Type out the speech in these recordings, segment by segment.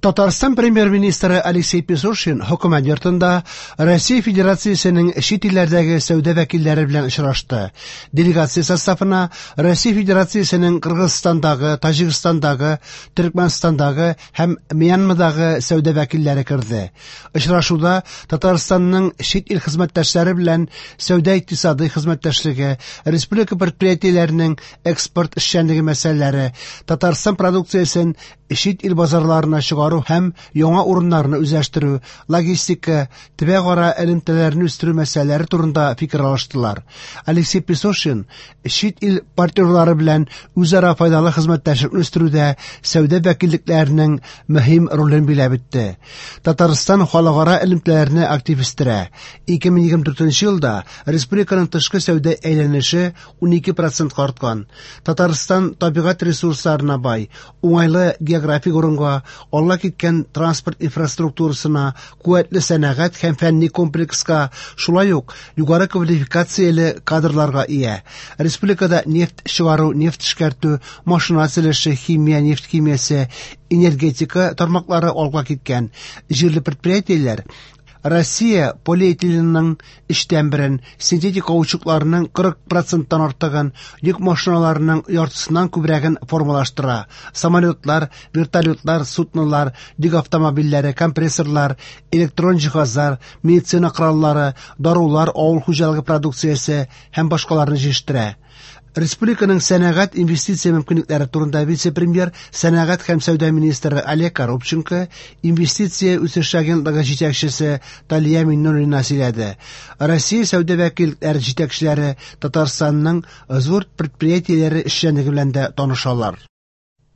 Татарстан Премьер-министры Алексей Песошин Хөкүмәт йортында Россия Федерациясенең чит илләрдәге сәүдә вәкилләре белән очрашты. Делегация составына Россия Федерациясенең Кыргызстандагы, Таҗикстандагы, Төркмәнстандагы һәм Мьянмадагы сәүдә вәкилләре керде. Очрашуда Татарстанның чит ил хезмәттәшләре белән сәүдә-икътисадый хезмәттәшлеге, республика предприятиеләренең экспорт эшчәнлеге мәсьәләләре, Татарстан продукциясен чит ил базарларына чыгару һәм яңа урыннарны үзләштерү, логистика, төбәкара элемтәләрне үстерү мәсьәләләре турында фикер алыштылар. Алексей Песошин чит ил партнерлары белән үзара файдалы хезмәттәшлекне үстерүдә сәүдә вәкиллекләренең мөһим ролен биләп үтте. Татарстан халыкара элемтәләрне актив үстерә. 2024 елда республиканың тышкы сәүдә әйләнеше 12 процентка арткан. Татарстан табигать ресурсларына бай, уңайлы географик урынга, алга киткән транспорт инфраструктурасына, куәтле сәнәгать һәм фәнни комплекска, шулай ук югары квалификацияле кадрларга ия. Республикада нефть чыгару, нефть эшкәртү, машина төзелеше, химия, нефть химиясе, энергетика тармаклары алга киткән. Җирле предприятиеләр Россия полиэтиленының өчтән берен, синтетик каучукларның 40 проценттан артыгын, йөк машиналарының яртысыннан күбрәген формалаштыра. Самолетлар, вертолетлар, суднолар, йөк автомобильләре, компрессорлар, электрон җиһазлар, медицина кораллары, дарулар, авыл хуҗалыгы продукциясе һәм башкаларны җитештерә. Республиканың сәнәгать инвестиция мөмкинлекләре турында вице-премьер, сәнәгать һәм сәүдә министры Олег Коробченко, инвестиция үсеше агентлыгы җитәкчесе Талия Миннуллина сөйләде. Россия сәүдә вәкиллекләре җитәкчеләре Татарстанның зур предприятиеләре эшчәнлеге белән дә танышалар.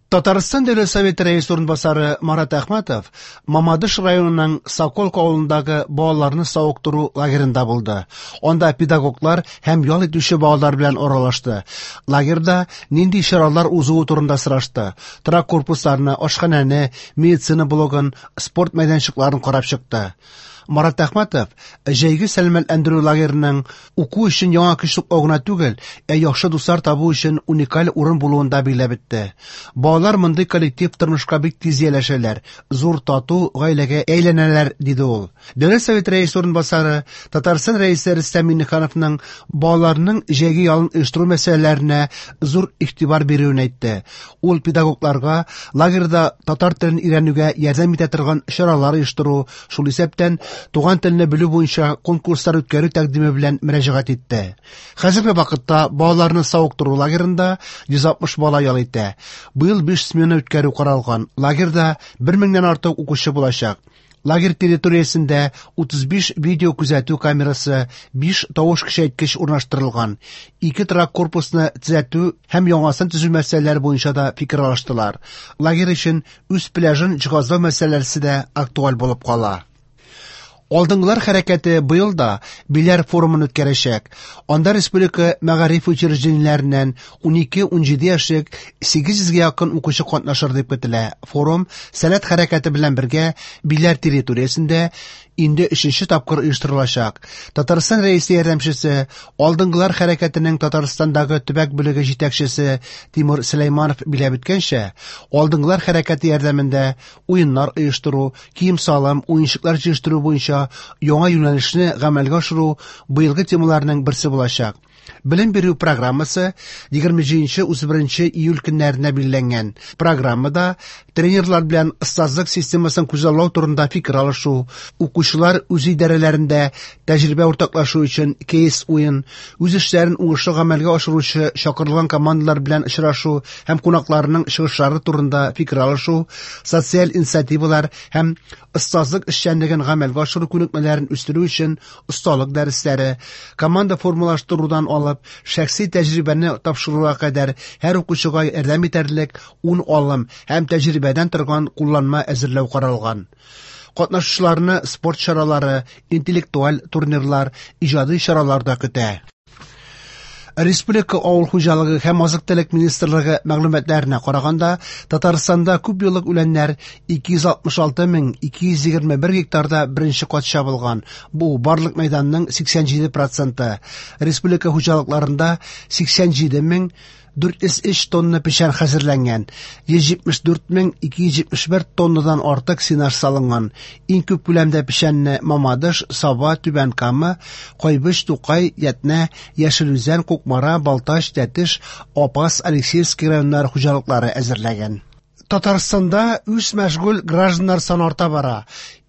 Татарстан Дәүләт Советы рәисе урынбасары Марат Әхмәтов Мамадыш районының Соколка авылындагы балаларны савыктыру лагерында булды. Анда педагоглар һәм ял итүче балалар белән аралашты. Лагерьда нинди чаралар узуы турында сорашты. Торак корпусларны, ашханәне, медицина блогын, спорт мәйданчыкларын карап чыкты. Марат Әхмәтов җәйге сәламәтләндерү лагерының уку өчен яңа көч туплау гына түгел, ә яхшы дуслар табу өчен уникаль урын булуын да билгеләп үтте. Балалар мондый коллектив тормышка бик тиз ияләшәләр, зур тату гаиләгә әйләнәләр, диде ул. Дәүләт Советы рәисе урынбасары, Татарстан Рәисе Рөстәм Миңнехановның балаларның җәйге ялын оештыру мәсьәләләренә зур игътибар бирүен әйтте. Ул педагогларга лагерьда татар телен өйрәнүгә ярдәм итә торган чаралар оештыру, шул исәптән туган телне белү буенча конкурслар үткәрү тәкъдиме белән мөрәҗәгать итте. Хәзерге вакытта балаларны савыктыру лагерында 160 бала ял итә. Быел 5 смена үткәрү каралган. Лагерьда 1000 меңнән артык укучы булачак. Лагерь территориясендә 35 видео күзәтү камерасы, 5 тавыш көчәйткеч урнаштырылган. Ике торак корпусны төзәтү һәм яңасын төзү мәсьәләләре буенча да фикер алыштылар. Лагерь өчен үз пляжын җиһазлау мәсьәләсе дә актуаль булып кала. Алдынгылар хәрәкәте быел да Биләр форумын үткәрәчәк. Анда республика мәгариф учреждениеләреннән 12-17 яшьлек 800гә якын укучы катнашыр дип көтелә. Форум Сәләт хәрәкәте белән бергә Биләр территориясендә инде өченче тапкыр оештырылачак. Татарстан Рәисе ярдәмчесе, Алдынгылар хәрәкәтенең Татарстандагы төбәк бүлеге җитәкчесе Тимур Сөләйманов биләп үткәнчә, Алдынгылар хәрәкәте ярдәмендә уеннар оештыру, кием-салым, уенчыклар җыештыру буенча яңа юнәлешне гамәлгә ашыру быелгы темаларның берсе булачак. Белем бирү программасы 27-31 июль көннәренә билгеләнгән. Программада тренерлар белән остазлык системасын күзаллау турында фикер алышу, укучылар үз идарәләрендә тәҗрибә уртаклашу өчен кейс уен, үз эшләрен уңышлы гамәлгә ашыручы чакырылган командалар белән очрашу һәм кунакларның чыгышлары турында фикер алышу, социаль инициативалар һәм остазлык эшчәнлеген гамәлгә ашыру күнекмәләрен үстерү өчен осталык дәресләре, команда формалаштырудан алып, шәхси тәҗрибәне тапшыруга кадәр һәр укучыга ярдәм итәрлек 10 алым һәм тәҗрибәдән торган кулланма әзерләү каралган. Катнашучыларны спорт чаралары, интеллектуаль турнирлар, иҗади чаралар да көтә. Республика авыл хуҗалыгы һәм азык-төлек министрлыгы мәгълүматларына караганда, Татарстанда күп еллык үләннәр 266 221 гектарда беренче кат чабылган. Бу барлык мәйданның 87 проценты. Республика хуҗалыкларында 87 мең 403 тонна печән хәзерләнгән, 174 мең 271 тоннадан артык сенаж салынган. Иң күп күләмдә печәнне Мамадыш, Саба, Түбән Кама, Кайбыч, Тукай, Ятнә, Яшел Үзән, Кукмара, Балтач, Тәтеш, Апас, Алексеевский районнары хуҗалыклары әзерләгән. Татарстанда үзмәшгуль гражданнар саны арта бара.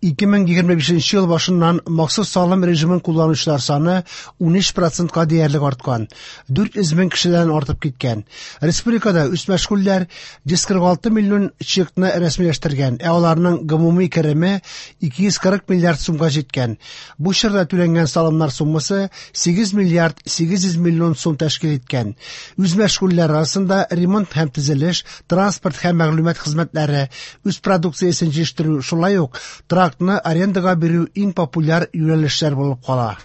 2025 ел башыннан махсус салым режимын кулланучылар саны 13 процентка диярлек арткан, 400 мең кешедән артып киткән. Республикада үзмәшгульләр 146 миллион чекны рәсмиләштергән, ә аларның гомуми кереме 240 миллиард сумга җиткән. Бу чорда түләнгән салымнар суммасы 8 миллиард 800 миллион сум тәшкил иткән. Үзмәшгульләр арасында ремонт һәм төзелеш, транспорт һәм мәгълүмат хезмәтләре, үз продукциясен җитештерү, шулай ук торакны арендага бирү иң популяр юнәлешләр булып кала.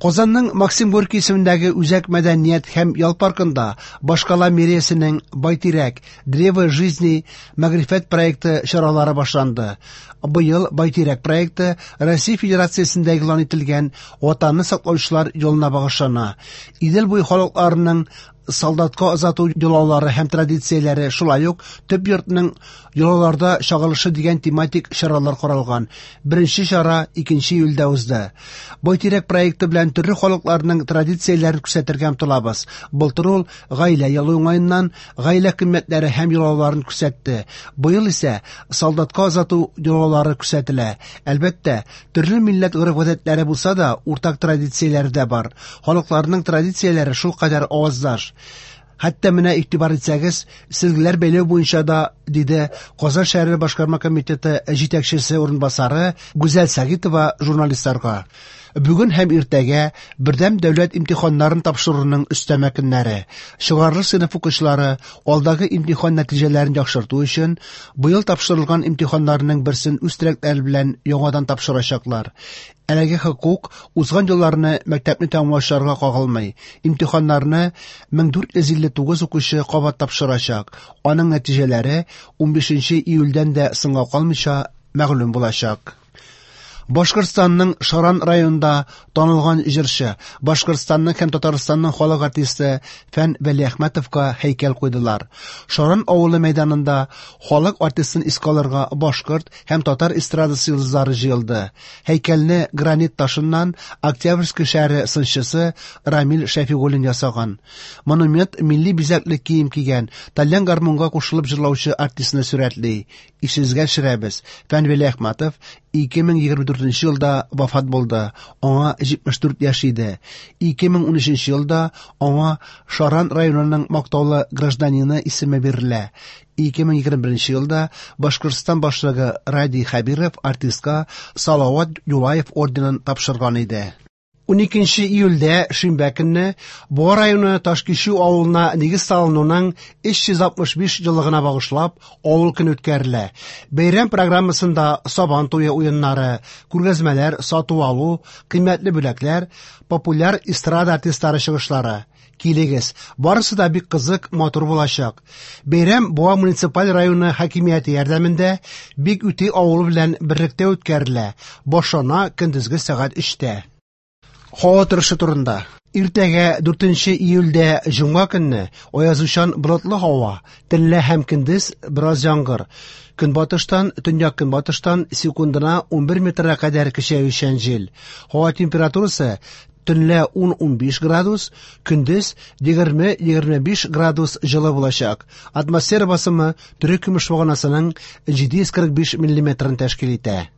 Казанның Максим Горький исемендәге Үзәк мәдәният һәм ял паркында башкала мэриясенең Байтирәк Древо жизни мәгърифәт проекты чаралары башланды. Быел Байтирәк проекты Россия Федерациясендә игълан ителгән Ватанны саклаучылар елына багышлана. Идел буе халыкларының солдатка озату йолалары һәм традицияләре, шулай ук төп йортның йолаларда чагылышы дигән тематик чаралар каралган. Беренче чара 2 июльдә узды. Байтирәк проекты белән төрле халыкларның традицияләрен күрсәтергә омтылабыз. Былтыр ул гаилә елы уңаеннан гаилә кыйммәтләре һәм йолаларын күрсәтте. Быел исә солдатка озату йолалары күрсәтелә. Әлбәттә, төрле милләт гореф-гадәтләре булса да, уртак традицияләре дә бар. Халыкларның традицияләре шулкадәр аваздаш. Хәтта менә игътибар итсәгез, сөлгеләр бәйләү буенча да, диде Казан шәһәре башкарма комитеты җитәкчесе урынбасары Гүзәл Сагитова журналистларга. Бүген һәм иртәгә бердәм дәүләт имтиханнарын тапшыруның өстәмә көннәре. Чыгарылыш сыйныф укучылары алдагы имтихан нәтиҗәләрен яхшырту өчен быел тапшырылган имтиханнарның берсен үз теләкләре белән яңадан тапшырачаклар. Әлеге хокук узган елларны мәктәпне тәмамлаучыларга кагылмый. Имтиханнарны 1459 укучы кабат тапшырачак. Аның нәтиҗәләре 15 июльдән дә соңга калмыйча мәгълүм булачак. Башкортстанның Шаран районында танылган җырчы, Башкортстанның һәм Татарстанның халык артисты Фән Вәлиәхмәтовка һәйкәл куйдылар. Шаран авылы мәйданында халык артистын искә алырга башкорт һәм татар эстрадасы йолдызлары җыелды. Һәйкәлне гранит ташыннан Октябрьский шәһәре сынчысы Рамил Шәфигуллин ясаган. Монумент милли бизәкле кием кигән, тальян гармунга кушылып җырлаучы артистны сурәтли. Исегезгә төшерәбез, Фән Вәлиәхмәтов 2024 елда вафат булды. Аңа 74 яшь иде. 2013 елда аңа Шаран районының мактаулы гражданины исеме бирелә. 2021 елда Башкортстан башлыгы Радий Хәбиров артистка Салават Юлаев орденын тапшырган иде. 12 июльдә шимбә көнне Буа районы Ташкичү авылына нигез салынуның 365 еллыгына багышлап авыл көне үткәрелә. Бәйрәм программасында Сабан туе уеннары, күргәзмәләр, сату-алу, кыйммәтле бүләкләр, популяр эстрада артистлары чыгышлары. Килегез, барысы да бик кызык, матур булачак. Бәйрәм Буа муниципаль районы хакимияте ярдәмендә Бик Үти авылы белән берлектә үткәрелә. Башлана көндезге сәгать 3-тә. Һава торышы турында. Иртәгә 4 июльдә җомга көнне аязучан болытлы һава, төнлә һәм көндез бераз яңгыр. Көнбатыштан, төньяк-көнбатыштан секундына 11 метрга кадәр көчәючән җил. Һава температурасы төнлә 10-15 градус, көндез 20-25 градус җылы булачак. Атмосфера басымы төрек көмеш баганасының 745 миллиметрын тәшкил итә.